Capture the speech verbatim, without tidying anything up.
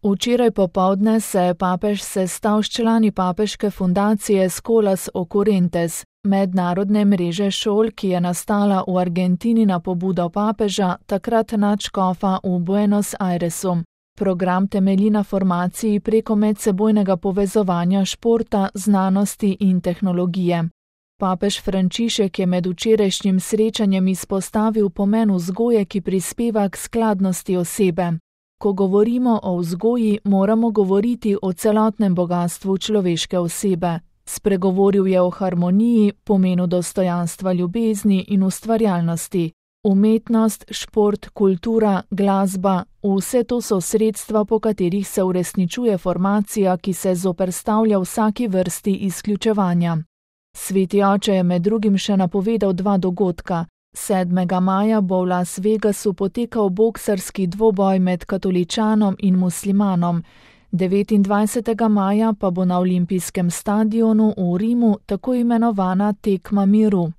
Včeraj popoldne se je papež sestal s člani papeške fundacije Scholas Occurrentes, mednarodne mreže šol, ki je nastala v Argentini na pobudo papeža, takrat nadškofa v Buenos Airesu. Program temelji na formaciji preko medsebojnega povezovanja športa, znanosti in tehnologije. Papež Frančišek je med včerajšnjim srečanjem izpostavil pomen vzgoje, ki prispeva k skladnosti osebe. Ko govorimo o vzgoji, moramo govoriti o celotnem bogatstvu človeške osebe. Spregovoril je o harmoniji, pomenu dostojanstva, ljubezni in ustvarjalnosti. Umetnost, šport, kultura, glasba, vse to so sredstva, po katerih se uresničuje formacija, ki se zoperstavlja vsaki vrsti izključevanja. Sveti oče je med drugim še napovedal dva dogodka. sedmega maja bo v Las Vegasu potekal boksarski dvoboj med katoličanom in muslimanom, devetindvajsetega maja pa bo na olimpijskem stadionu v Rimu tako imenovana tekma miru.